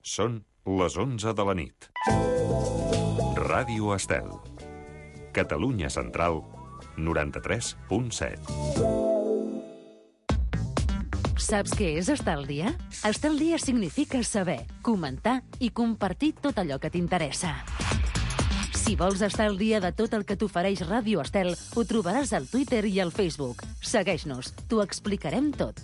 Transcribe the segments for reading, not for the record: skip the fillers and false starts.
Són les 11 de la nit. Ràdio Estel. Catalunya Central, 93.7. Saps què és estar al dia? Estar al dia significa saber, comentar i compartir tot allò que t'interessa. Si vols estar al dia de tot el que t'ofereix Ràdio Estel, ho trobaràs al Twitter i al Facebook. Segueix-nos, t'ho explicarem tot.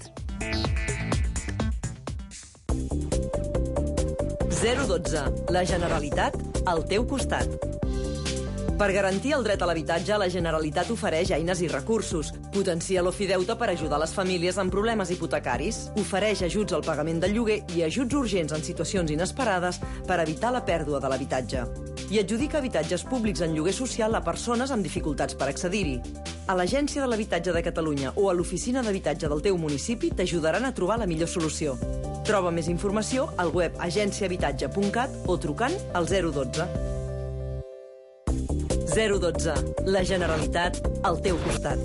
012. La Generalitat al teu costat. Per garantir el dret a l'habitatge, la Generalitat ofereix eines i recursos. Potencia l'ofideute per ajudar les famílies amb problemes hipotecaris. Ofereix ajuts al pagament del lloguer i ajuts urgents en situacions inesperades per evitar la pèrdua de l'habitatge. I adjudica habitatges públics en lloguer social a persones amb dificultats per accedir-hi. A l'Agència de l'Habitatge de Catalunya o a l'Oficina d'Habitatge del teu municipi t'ajudaran a trobar la millor solució. Troba més informació al web agenciahabitatge.cat o trucant al 012. 012. La Generalitat al teu costat.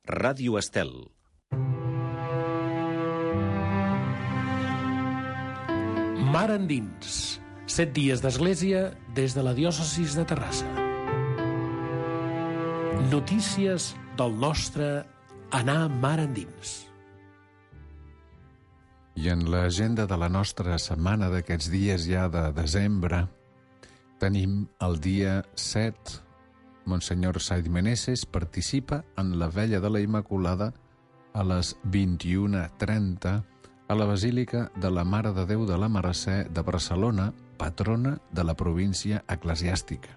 Ràdio Estel. Mar endins. 7 dies d'església des de la diòcesis de Terrassa. Notícies del nostre anar mar endins. I en l'agenda de la nostra setmana d'aquests dies ja de desembre tenim el dia 7. Monsenyor Said Meneses participa en la Vella de la Immaculada a les 21:30 a la Basílica de la Mare de Déu de la Mercè de Barcelona, patrona de la província eclesiàstica.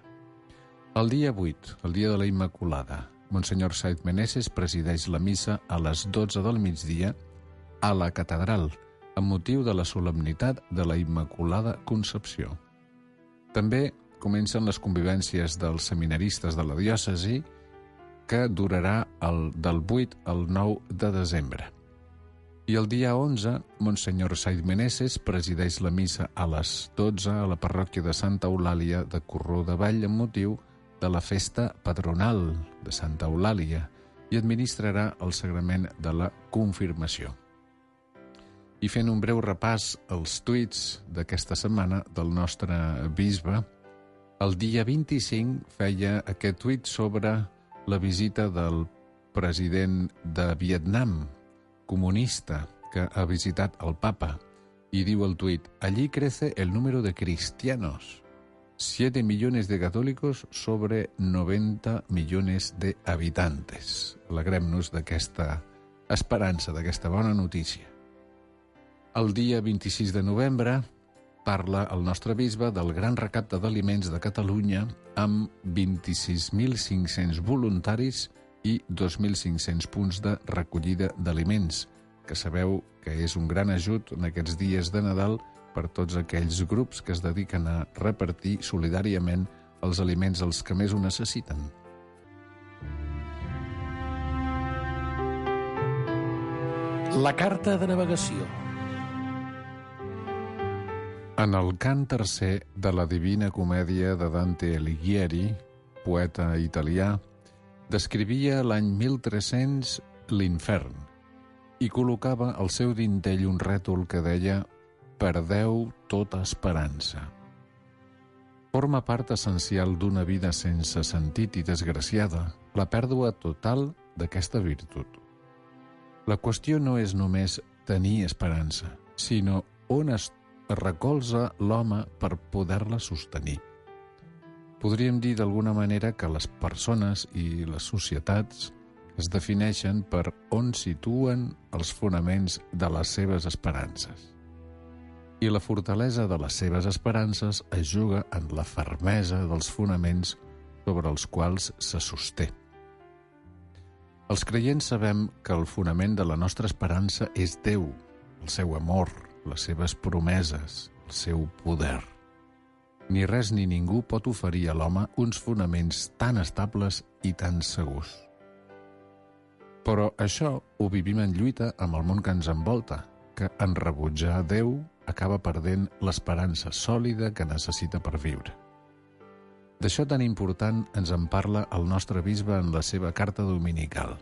El dia 8, el dia de la Immaculada, Monsenyor Said Meneses presideix la missa a les 12 del migdia a la catedral, amb motiu de la solemnitat de la Immaculada Concepció. També comencen les convivències dels seminaristes de la diòcesi, que durarà del 8 al 9 de desembre. I el dia 11, Monsenyor Said Meneses presideix la missa a les 12 a la parròquia de Santa Eulàlia de Corró de Vall amb motiu de la festa patronal de Santa Eulàlia i administrarà el sagrament de la confirmació. I fent un breu repàs als tuits d'aquesta setmana del nostre bisbe, el dia 25 feia aquest tuit sobre la visita del president de Vietnam, comunista, que ha visitat el papa, i diu el tuit: allí crece el número de cristianos, 7 millones de católicos sobre 90 millones de habitantes. Alegrem-nos d'aquesta esperança, d'aquesta bona notícia. El dia 26 de novembre parla el nostre bisbe del gran recapte d'aliments de Catalunya amb 26.500 voluntaris i 2.500 punts de recollida d'aliments, que sabeu que és un gran ajut en aquests dies de Nadal per tots aquells grups que es dediquen a repartir solidàriament els aliments als que més ho necessiten. La carta de navegació. En el cant tercer de la Divina Comèdia de Dante Alighieri, poeta italià, descrivia l'any 1300 l'infern i col·locava al seu dintell un rètol que deia «Perdeu tota esperança». Forma part essencial d'una vida sense sentit i desgraciada, la pèrdua total d'aquesta virtut. La qüestió no és només tenir esperança, sinó on es recolza l'home per poder-la sostenir. Podríem dir d'alguna manera que les persones i les societats es defineixen per on situen els fonaments de les seves esperances. I la fortalesa de les seves esperances es juga en la fermesa dels fonaments sobre els quals se sosté. Els creients sabem que el fonament de la nostra esperança és Déu, el seu amor, les seves promeses, el seu poder. Ni res ni ningú pot oferir a l'home uns fonaments tan estables i tan segurs. Però això ho vivim en lluita amb el món que ens envolta, que en rebutjar Déu acaba perdent l'esperança sòlida que necessita per viure. D'això tan important ens en parla el nostre bisbe en la seva carta dominical,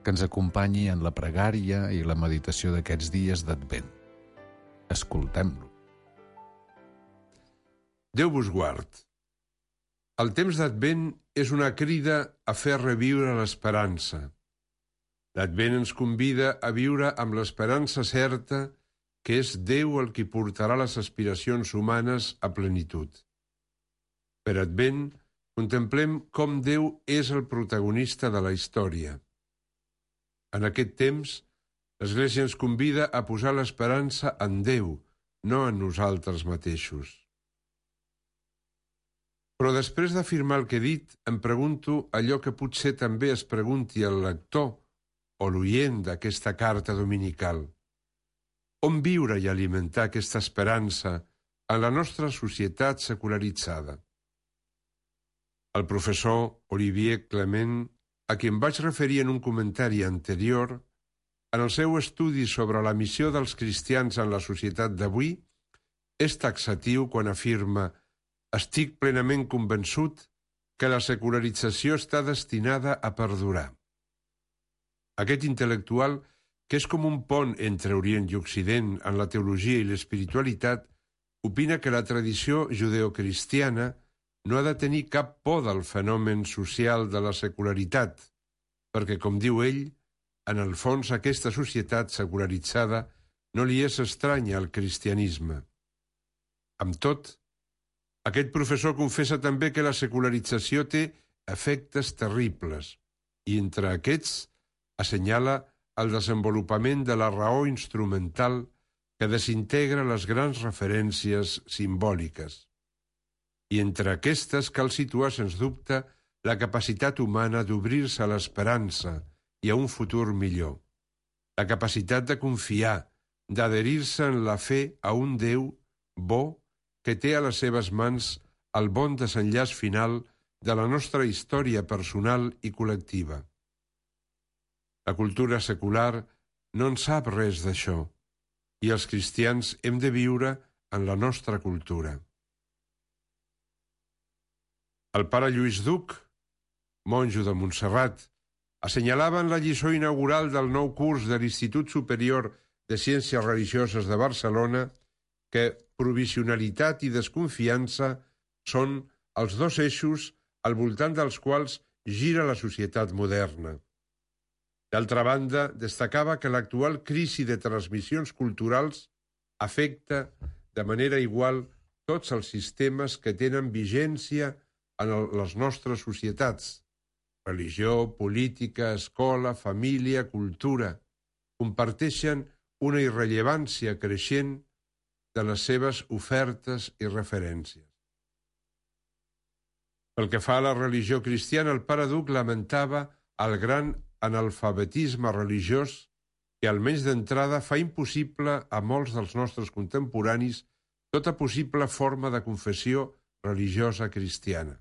que ens acompanyi en la pregària i la meditació d'aquests dies d'Advent. Escoltem-lo. Déu vos guard. El temps d'Advent és una crida a fer reviure l'esperança. L'Advent ens convida a viure amb l'esperança certa que és Déu el qui portarà les aspiracions humanes a plenitud. Per Advent, contemplem com Déu és el protagonista de la història. En aquest temps, l'Església ens convida a posar l'esperança en Déu, no en nosaltres mateixos. Però després d'afirmar el que he dit, em pregunto allò que potser també es pregunti el lector o l'oient d'aquesta carta dominical. On viure i alimentar aquesta esperança en la nostra societat secularitzada? El professor Olivier Clement, a qui em vaig referir en un comentari anterior, en el seu estudi sobre la missió dels cristians en la societat d'avui, és taxatiu quan afirma: estic plenament convençut que la secularització està destinada a perdurar. Aquest intel·lectual, que és com un pont entre Orient i Occident en la teologia i l'espiritualitat, opina que la tradició judeocristiana no ha de tenir cap por del fenomen social de la secularitat, perquè, com diu ell, en el fons aquesta societat secularitzada no li és estranya al cristianisme. Amb tot, aquest professor confessa també que la secularització té efectes terribles i entre aquests assenyala el desenvolupament de la raó instrumental que desintegra les grans referències simbòliques. I entre aquestes cal situar, sens dubte, la capacitat humana d'obrir-se a l'esperança i a un futur millor, la capacitat de confiar, d'adherir-se en la fe a un Déu bo que té a les seves mans el bon desenllaç final de la nostra història personal i col·lectiva. La cultura secular no en sap res d'això, i els cristians hem de viure en la nostra cultura. El pare Lluís Duc, monjo de Montserrat, assenyalava en la lliçó inaugural del nou curs de l'Institut Superior de Ciències Religioses de Barcelona que provisionalitat i desconfiança són els dos eixos al voltant dels quals gira la societat moderna. D'altra banda, destacava que l'actual crisi de transmissions culturals afecta de manera igual tots els sistemes que tenen vigència en les nostres societats: religió, política, escola, família, cultura. Comparteixen una irrellevància creixent de les seves ofertes i referències. Pel que fa a la religió cristiana, el pare Duc lamentava el gran analfabetisme religiós que, almenys d'entrada, fa impossible a molts dels nostres contemporanis tota possible forma de confessió religiosa cristiana.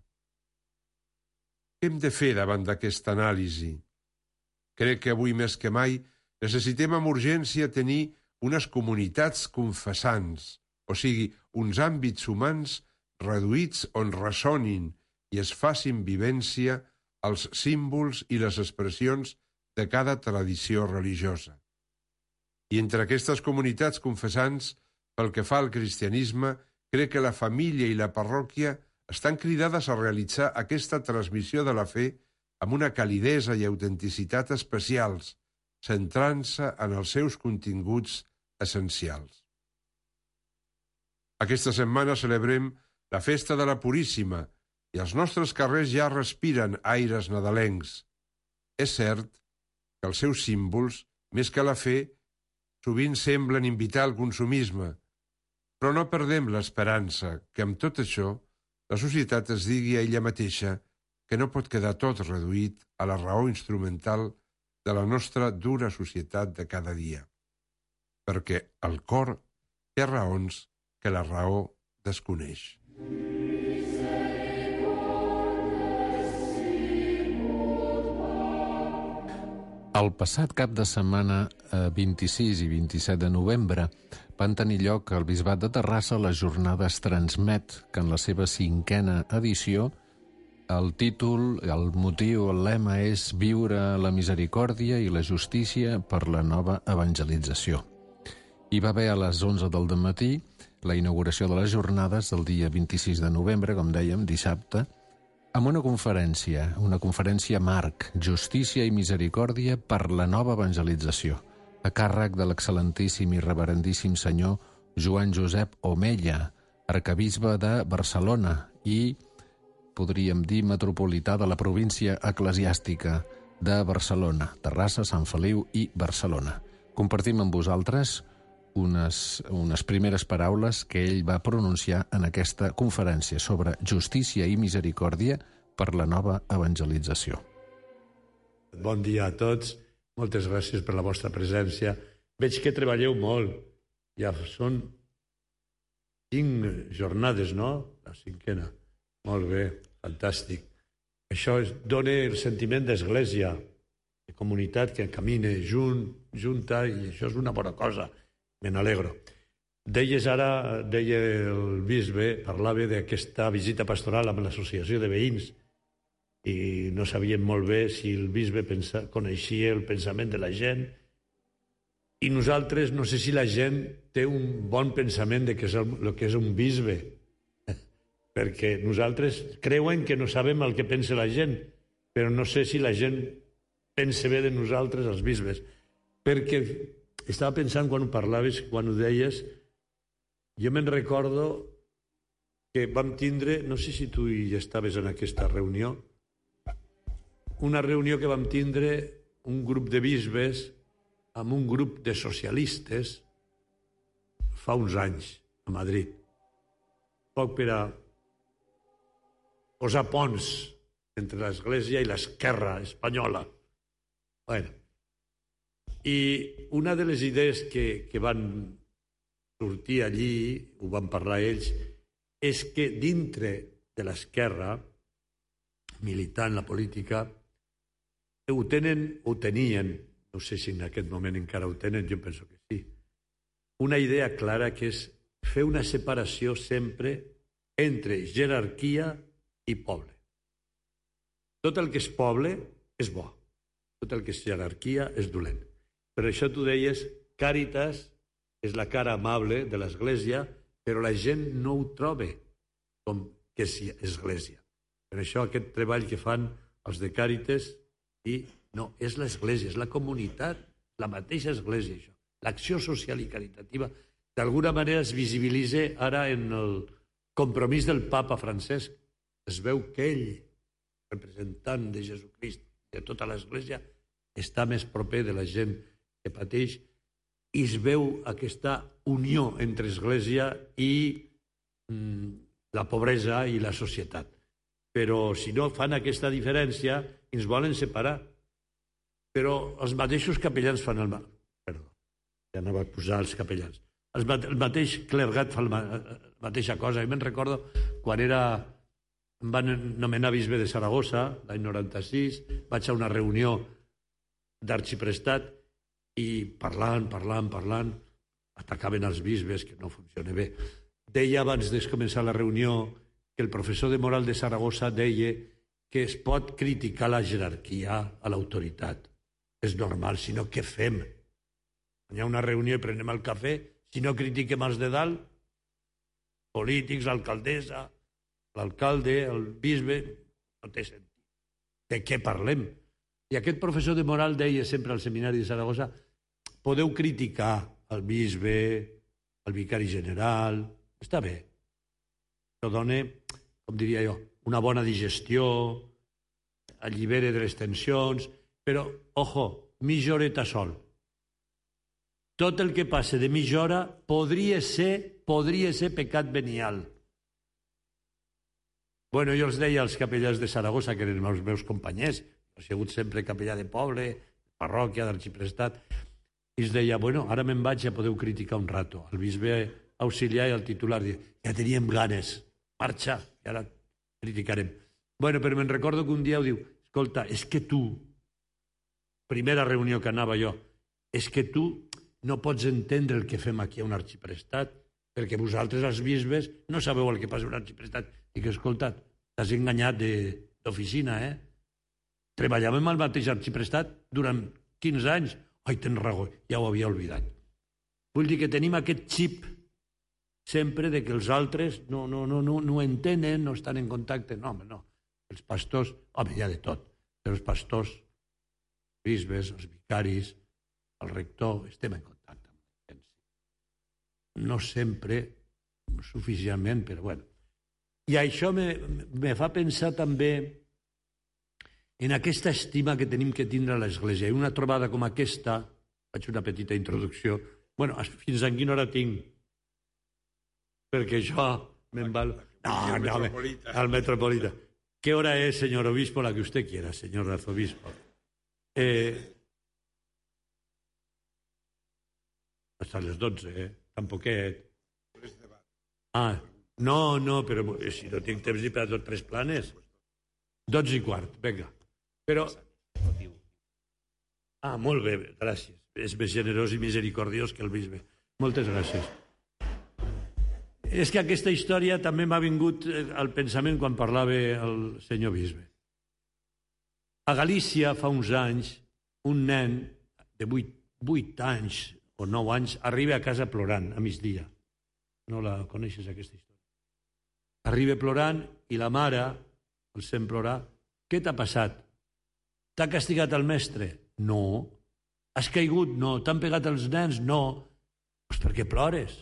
Què hem de fer davant d'aquesta anàlisi? Crec que avui més que mai necessitem amb urgència tenir unes comunitats confessants, o sigui, uns àmbits humans reduïts on ressonin i es facin vivència els símbols i les expressions de cada tradició religiosa. I entre aquestes comunitats confessants, pel que fa al cristianisme, crec que la família i la parròquia estan cridades a realitzar aquesta transmissió de la fe amb una calidesa i autenticitat especials, centrant-se en els seus continguts essencials. Aquesta setmana celebrem la festa de la Puríssima i els nostres carrers ja respiren aires nadalencs. És cert que els seus símbols, més que la fe, sovint semblen invitar al consumisme, però no perdem l'esperança que amb tot això la societat es digui a ella mateixa que no pot quedar tot reduït a la raó instrumental de la nostra dura societat de cada dia, perquè el cor té raons que la raó desconeix. El passat cap de setmana 26 i 27 de novembre van tenir lloc al Bisbat de Terrassa les jornades Transmet, que en la seva 5a edició el títol, el motiu, el lema és Viure la misericòrdia i la justícia per la nova evangelització. Hi va haver a les 11 del matí la inauguració de les jornades del dia 26 de novembre, com dèiem, dissabte, amb una conferència marc, Justícia i Misericòrdia per la nova evangelització, a càrrec de l'excel·lentíssim i reverendíssim senyor Joan Josep Omella, arquebisbe de Barcelona i, podríem dir, metropolità de la província eclesiàstica de Barcelona, Terrassa, Sant Feliu i Barcelona. Compartim amb vosaltres unes primeres paraules que ell va pronunciar en aquesta conferència sobre justícia i misericòrdia per la nova evangelització. Bon dia a tots, moltes gràcies per la vostra presència. Veig que treballeu molt, ja són 5 jornades, no? La 5ª. Molt bé, fantàstic. Això dona el sentiment d'església, de comunitat que camina junta, i això és una bona cosa. Me n'alegro. Deia el bisbe, parlava d'aquesta visita pastoral amb l'associació de veïns i no sabíem molt bé si el bisbe coneixia el pensament de la gent i nosaltres no sé si la gent té un bon pensament de el que és un bisbe perquè nosaltres creuen que no sabem el que pensa la gent, però no sé si la gent pensa bé de nosaltres, els bisbes, perquè estava pensant quan ho parlaves, quan ho deies, jo me'n recordo que vam tindre, no sé si tu hi estaves en aquesta reunió, una reunió que vam tindre un grup de bisbes amb un grup de socialistes fa uns anys a Madrid. Poc per a posar ponts entre l'Església i l'esquerra espanyola. Bueno, i una de les idees que van sortir allí, ho van parlar ells, és que dintre de l'esquerra, militant la política, ho tenien, no sé si en aquest moment encara ho tenen, jo penso que sí, una idea clara que és fer una separació sempre entre jerarquia i poble. Tot el que és poble és bo, tot el que és jerarquia és dolent. Per això tu deies, Càritas és la cara amable de l'Església, però la gent no ho troba com que és Església. Per això aquest treball que fan els de Càritas, i no, és l'Església, és la comunitat, la mateixa Església, això. L'acció social i caritativa, d'alguna manera es visibilitza ara en el compromís del papa Francesc. Es veu que ell, representant de Jesucrist, de tota l'Església, està més proper de la gent que pateix i es veu aquesta unió entre Església i la pobresa i la societat. Però si no fan aquesta diferència, ens volen separar. Però els mateixos capellans fan el mal. Perdó, ja anava a posar els capellans. El mateix clergat fa la mateixa cosa. Jo me'n recordo quan em van nomenar bisbe de Saragossa, l'any 96, vaig a una reunió d'arxiprestat i parlant, atacaven els bisbes, que no funciona bé. Deia abans de començar la reunió que el professor de moral de Saragossa deia que es pot criticar la jerarquia a l'autoritat. És normal, si no, què fem? Quan hi ha una reunió i prenem el cafè, si no critiquem els de dalt, polítics, l'alcaldessa, l'alcalde, el bisbe, no té sentit. De què parlem? I aquest professor de moral deia sempre al seminari de Saragossa: podeu criticar el bisbe, el vicari general, està bé. Això dona, com diria jo, una bona digestió, allibera de les tensions, però, ojo, mitja horeta sol. Tot el que passa de mitja hora podria ser pecat venial. Bueno, jo els deia als capellans de Saragossa, que eren els meus companys, he sigut sempre capellà de poble, parròquia, d'arxiprestat, i els deia, bueno, ara me'n vaig, ja podeu criticar un rato. El bisbe auxiliar i el titular deia, ja teníem ganes, marxa, i ara criticarem. Bueno, però me'n recordo que un dia ho diu, escolta, és que tu, primera reunió que anava jo, és que tu no pots entendre el que fem aquí a un arxiprestat, perquè vosaltres, els bisbes, no sabeu el que passa a un arxiprestat. I que, escolta, t'has enganyat d'oficina, Treballàvem al mateix arxiprestat durant 15 anys. Ai, tens raó, ja ho havia oblidat. Vull dir que tenim aquest xip sempre de que els altres no ho entenen, no estan en contacte. No, home, no. Els pastors, home, hi ha de tot, però els pastors, els bisbes, els vicaris, el rector, estem en contacte amb la gent. No sempre suficientment, però bueno. I això me fa pensar també en aquesta estima que tenim que tindre a l'Església. I una trobada com aquesta, faig una petita introducció, bueno, fins a quina hora tinc? Perquè això me'n val... No, al Metropolita. ¿Qué hora es, señor obispo? La que usted quiera, señor arzobispo. Hasta les 12, Tan poquet. No, però si no tinc temps ni per a 3 planes. 12:15, vinga. Però... molt bé, gràcies. És més generós i misericordiós que el bisbe. Moltes gràcies. És que aquesta història també m'ha vingut al pensament quan parlava el senyor bisbe. A Galícia, fa uns anys, un nen de 8 anys o 9 anys arriba a casa plorant a migdia. No la coneixes, aquesta història? Arriba plorant i la mare el sent plorar. Què t'ha passat? T'ha castigat el mestre? No. Has caigut? No. T'han pegat els nens? No. Doncs per què plores?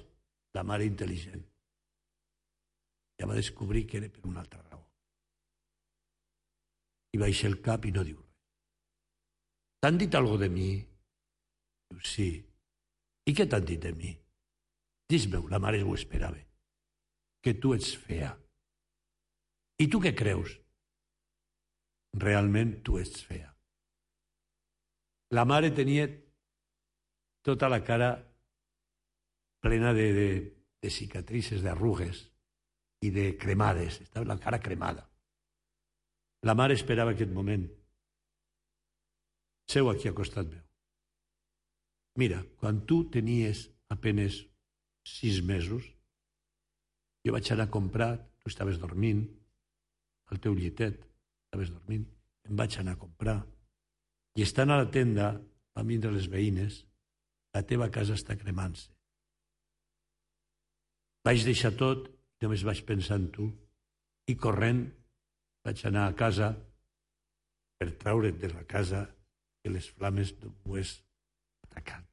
La mare intel·ligent. Ja va descobrir que era per una altra raó. I baixa el cap i no diu res. T'han dit alguna cosa de mi? Diu, sí. I què t'han dit de mi? Dis-meu, la mare ho esperava. Que tu ets fea. I tu què creus? Realment tu ets fea. La mare tenia tota la cara plena de cicatrices, d'arrugues i de cremades. Estava la cara cremada. La mare esperava aquest moment. Seu aquí al costat meu. Mira, quan tu tenies apenes 6 mesos, jo vaig anar a comprar, tu estaves dormint, al teu llitet, estaves dormint, em vaig anar a comprar, i estant a la tenda, van vindre les veïnes, la teva casa està cremant-se. Vaig deixar tot, només vaig pensar en tu, i corrent vaig anar a casa per treure't de la casa que les flames no m'ho atacant.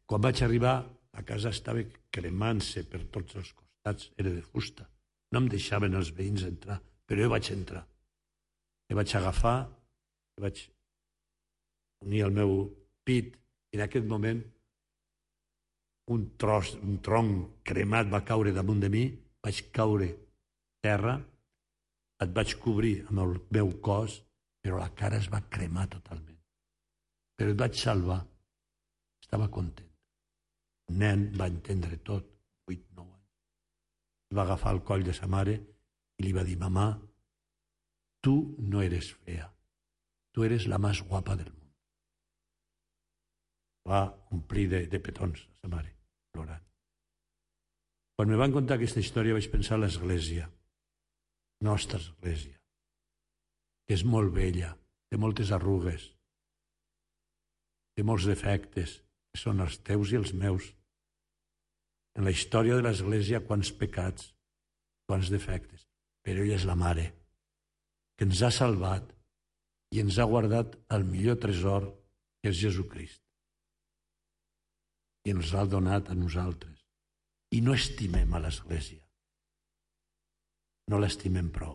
Quan vaig arribar, la casa estava cremant-se per tots els costats, era de fusta. No em deixaven els veïns entrar, però jo vaig entrar. Me vaig agafar, me vaig unir al meu pit, i en aquest moment un tronc cremat va caure damunt de mi, vaig caure a terra, et vaig cobrir amb el meu cos, però la cara es va cremar totalment. Però et vaig salvar, estava content. El nen va entendre tot, 8-9 anys. Va agafar el coll de sa mare i li va dir, mamà, tu no eres fea, tu eres la més guapa del món. Va omplir de petons a sa mare, plorant. Quan me van contar aquesta història vaig pensar a l'església, nostra església, que és molt vella, té moltes arrugues, té molts defectes, que són els teus i els meus. En la història de l'església, quants pecats, quants defectes. Però ella és la mare, que ens ha salvat i ens ha guardat el millor tresor, que és Jesucrist. I ens l'ha donat a nosaltres. I no estimem a l'església. No l'estimem prou.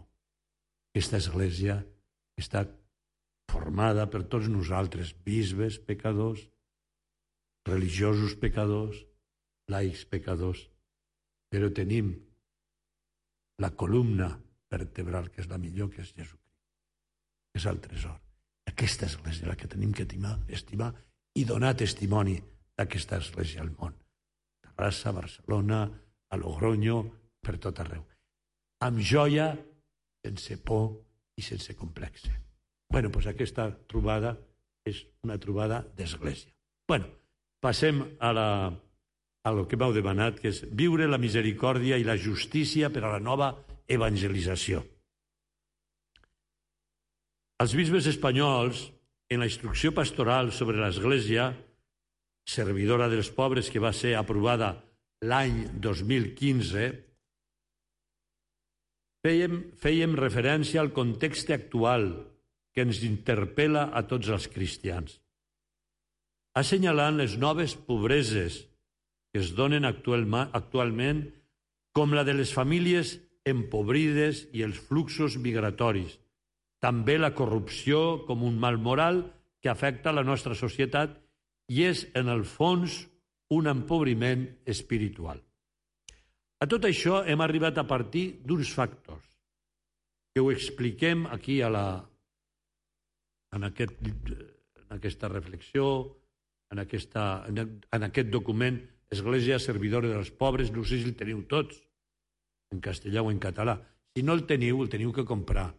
Aquesta església està formada per tots nosaltres, bisbes, pecadors, religiosos pecadors, laics pecadors, però tenim la columna vertebral, que és la millor, que és Jesucrist, que és el tresor. Aquesta església la que tenim que estimar i donar testimoni d'aquesta església al món. A Terrassa, a Barcelona, a Logroño, per tot arreu. Amb joia, sense por i sense complexe. Bueno, doncs aquesta trobada és una trobada d'església. Bueno, passem a lo que m'heu demanat, que és viure la misericòrdia i la justícia per a la nova evangelització. Els bisbes espanyols, en la instrucció pastoral sobre l'Església, servidora dels pobres, que va ser aprovada l'any 2015, fèiem referència al context actual que ens interpel·la a tots els cristians, assenyalant les noves pobreses que es donen actualment, com la de les famílies empobrides i els fluxos migratoris. També la corrupció com un mal moral que afecta la nostra societat i és, en el fons, un empobriment espiritual. A tot això hem arribat a partir d'uns factors que ho expliquem aquí en aquesta reflexió, en aquest document Església Servidora dels Pobres. No sé si el teniu tots, en castellà o en català. Si no el teniu que comprar.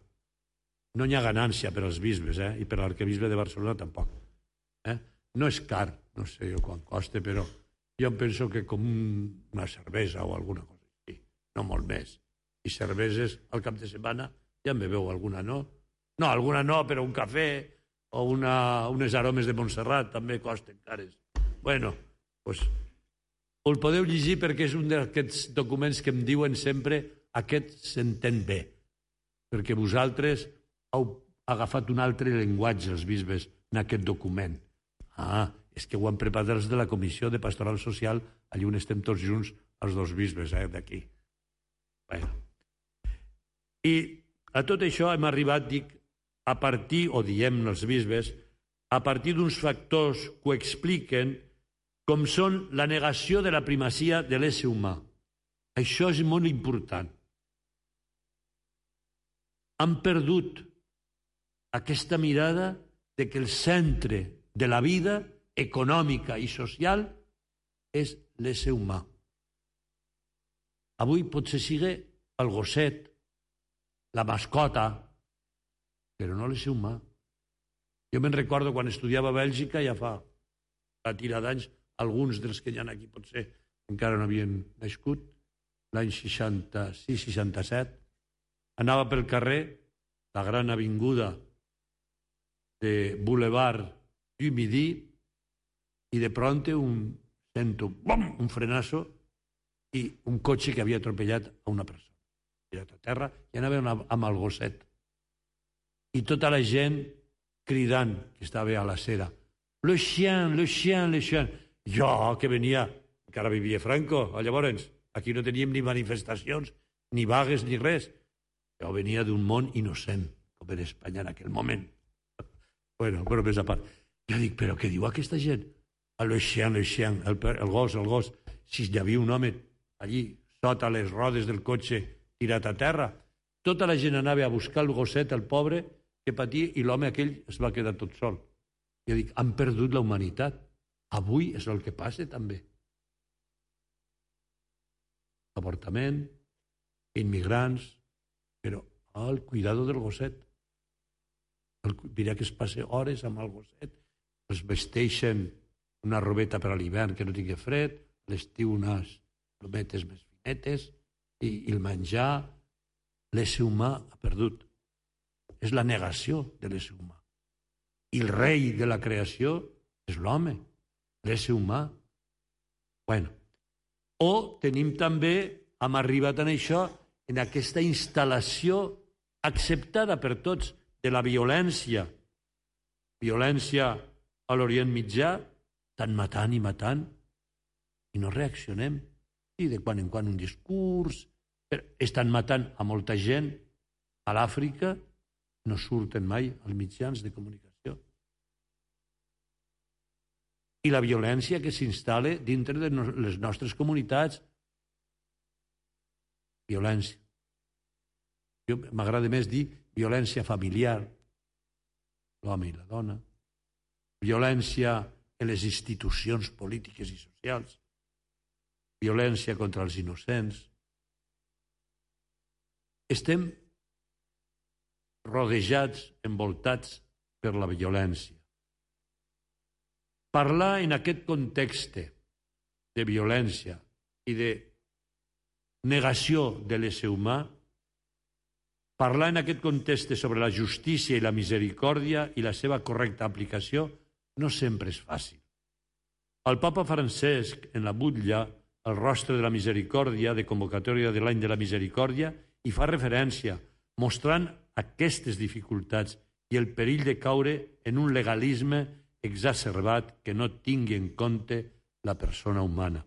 No hi ha ganància per als bisbes, i per l'arquebisbe de Barcelona tampoc. No és car, no sé jo quan costa, però jo em penso que com una cervesa o alguna cosa així, no molt més. I cerveses al cap de setmana ja en beveu alguna, no? No, alguna no, però un cafè o unes aromes de Montserrat també costen cares. Bueno, doncs el podeu llegir perquè és un d'aquests documents que em diuen sempre aquest s'entén bé, perquè vosaltres heu agafat un altre llenguatge, els bisbes, en aquest document. És que ho han preparat els de la Comissió de Pastoral Social, allà on estem tots junts, els dos bisbes d'aquí. I a tot això hem arribat, dic, a partir, o diem els bisbes, a partir d'uns factors que ho expliquen, com són la negació de la primacia de l'ésser humà. Això és molt important. Han perdut aquesta mirada de que el centre de la vida econòmica i social és l'ésser humà. Avui potser sigui el gosset, la mascota, però no l'ésser humà. Jo me'n recordo quan estudiava a Bèlgica, ja fa la tira d'anys, alguns dels que hi ha aquí potser encara no havien nascut, l'any 66-67, anava pel carrer, la gran avinguda de Boulevard du Midi, i de pronto sento un frenazo i un cotxe que havia atropellat a una persona. Tirat a terra i anava amb el gosset. I tota la gent cridant, que estava a l'acera, le chien, le chien, le chien. Jo, que venia, encara vivia Franco, llavors, aquí no teníem ni manifestacions, ni vagues, ni res. Jo venia d'un món innocent, com era Espanya en aquell moment. Bueno, més a part. Jo dic, però què diu aquesta gent? Le chien, el gos. Si hi havia un home allí, sota les rodes del cotxe, tirat a terra, tota la gent anava a buscar el gosset, el pobre, que patia, i l'home aquell es va quedar tot sol. Jo dic, han perdut la humanitat. Avui és el que passa també. Avortament, immigrants, però el cuidado del gosset. Mira que es passa hores amb el gosset, els vesteixen una robeta per a l'hivern que no tingui fred, a l'estiu unes plometes més finetes, i el menjar, l'ésser humà ha perdut. És la negació de l'ésser humà. I el rei de la creació és l'home, l'ésser humà. O tenim també, hem arribat en això, en aquesta instal·lació acceptada per tots de la violència. Violència a l'Orient Mitjà, estan matant i matant, i no reaccionem. I de quan en quan un discurs, estan matant a molta gent, a l'Àfrica, no surten mai als mitjans de comunicació. I la violència que s'instal·la dintre de les nostres comunitats. Violència. M'agrada més dir violència familiar, l'home i la dona, violència en les institucions polítiques i socials, violència contra els innocents. Estem rodejats, envoltats per la violència. Parlar en aquest context de violència i de negació de l'ésser humà, parlar en aquest context sobre la justícia i la misericòrdia i la seva correcta aplicació no sempre és fàcil. El papa Francesc, en la butlla El rostre de la misericòrdia, de convocatòria de l'any de la misericòrdia, hi fa referència, mostrant aquestes dificultats i el perill de caure en un legalisme exacerbat que no tingui en compte la persona humana.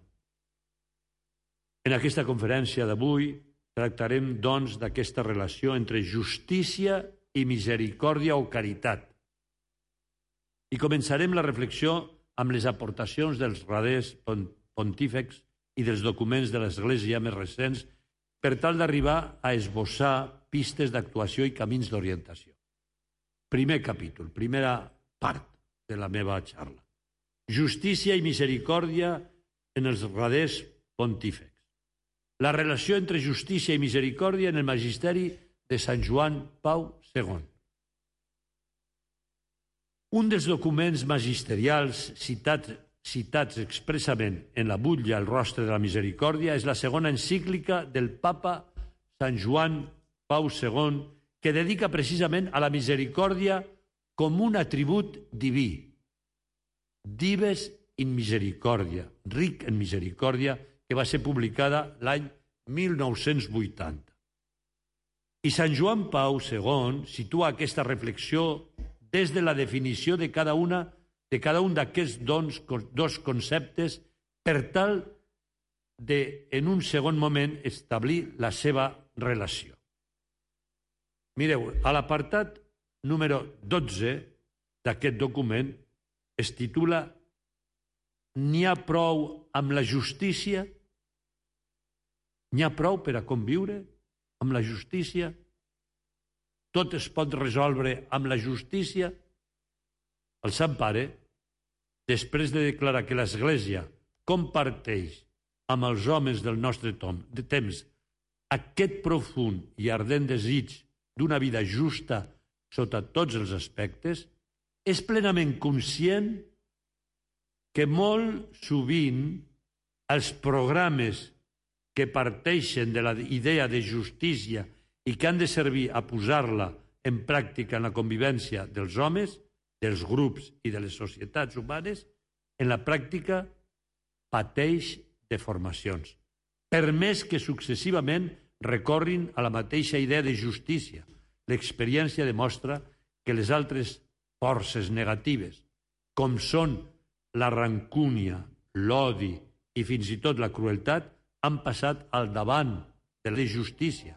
En aquesta conferència d'avui tractarem, doncs, d'aquesta relació entre justícia i misericòrdia o caritat. I començarem la reflexió amb les aportacions dels raders pontífex i dels documents de l'Església més recents per tal d'arribar a esbossar pistes d'actuació i camins d'orientació. Primer capítol, primera part de la meva xarra. Justícia i misericòrdia en els raders pontífex. La relació entre justícia i misericòrdia en el magisteri de Sant Joan Pau II. Un dels documents magisterials citats expressament en la butlla El rostre de la misericòrdia és la segona encíclica del papa Sant Joan Pau II, que dedica precisament a la misericòrdia com un atribut diví. Dives in misericòrdia, ric en misericòrdia, que va ser publicada l'any 1980. I Sant Joan Pau II situa aquesta reflexió des de la definició de cada un d'aquests dos conceptes per tal de, en un segon moment, establir la seva relació. Mireu, a l'apartat número 12 d'aquest document es titula «N'hi ha prou amb la justícia?» N'hi ha prou per a conviure amb la justícia? Tot es pot resoldre amb la justícia? El Sant Pare, després de declarar que l'Església comparteix amb els homes del nostre temps aquest profund i ardent desig d'una vida justa sota tots els aspectes, és plenament conscient que molt sovint els programes que parteixen de la idea de justícia i que han de servir a posar-la en pràctica en la convivència dels homes, dels grups i de les societats humanes, en la pràctica pateix deformacions, per més que successivament recorrin a la mateixa idea de justícia. L'experiència demostra que les altres forces negatives, com són la rancúnia, l'odi i fins i tot la crueltat, han passat al davant de la justícia.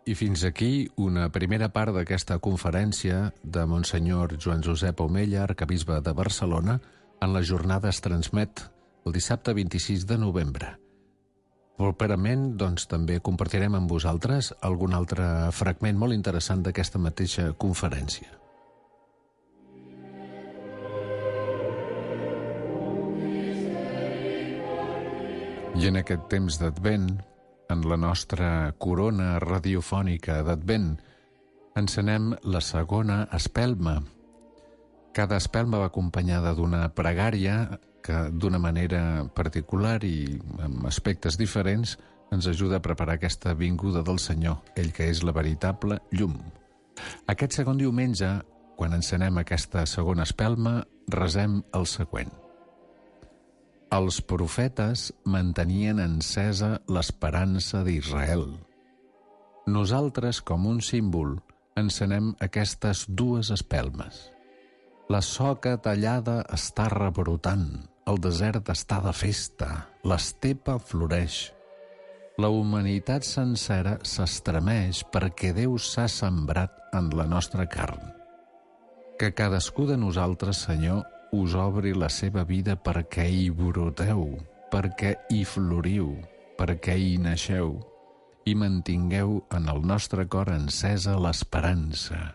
I fins aquí una primera part d'aquesta conferència de Monsenyor Joan Josep Omella, arcabisbe de Barcelona. En la jornada es transmet el dissabte 26 de novembre. Properament, doncs, també compartirem amb vosaltres algun altre fragment molt interessant d'aquesta mateixa conferència. I en aquest temps d'Advent, en la nostra corona radiofònica d'Advent, encenem la segona espelma. Cada espelma va acompanyada d'una pregària que d'una manera particular i amb aspectes diferents ens ajuda a preparar aquesta vinguda del Senyor, ell que és la veritable llum. Aquest segon diumenge, quan encenem aquesta segona espelma, resem el següent. Els profetes mantenien encesa l'esperança d'Israel. Nosaltres, com un símbol, encenem aquestes dues espelmes. La soca tallada està rebrotant, el desert està de festa, l'estepa floreix. La humanitat sencera s'estremeix perquè Déu s'ha sembrat en la nostra carn. Que cadascú de nosaltres, Senyor, us obri la seva vida perquè hi broteu, perquè hi floriu, perquè hi naixeu i mantingueu en el nostre cor encesa l'esperança.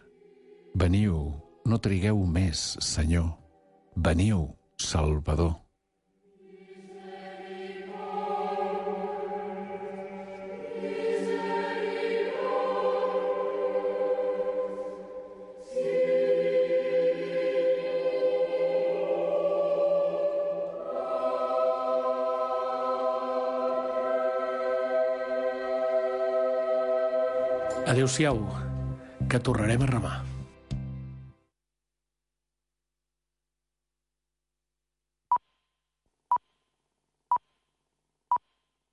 Veniu, no trigueu més, Senyor. Veniu, Salvador. Adéu-siau, que tornarem a remar.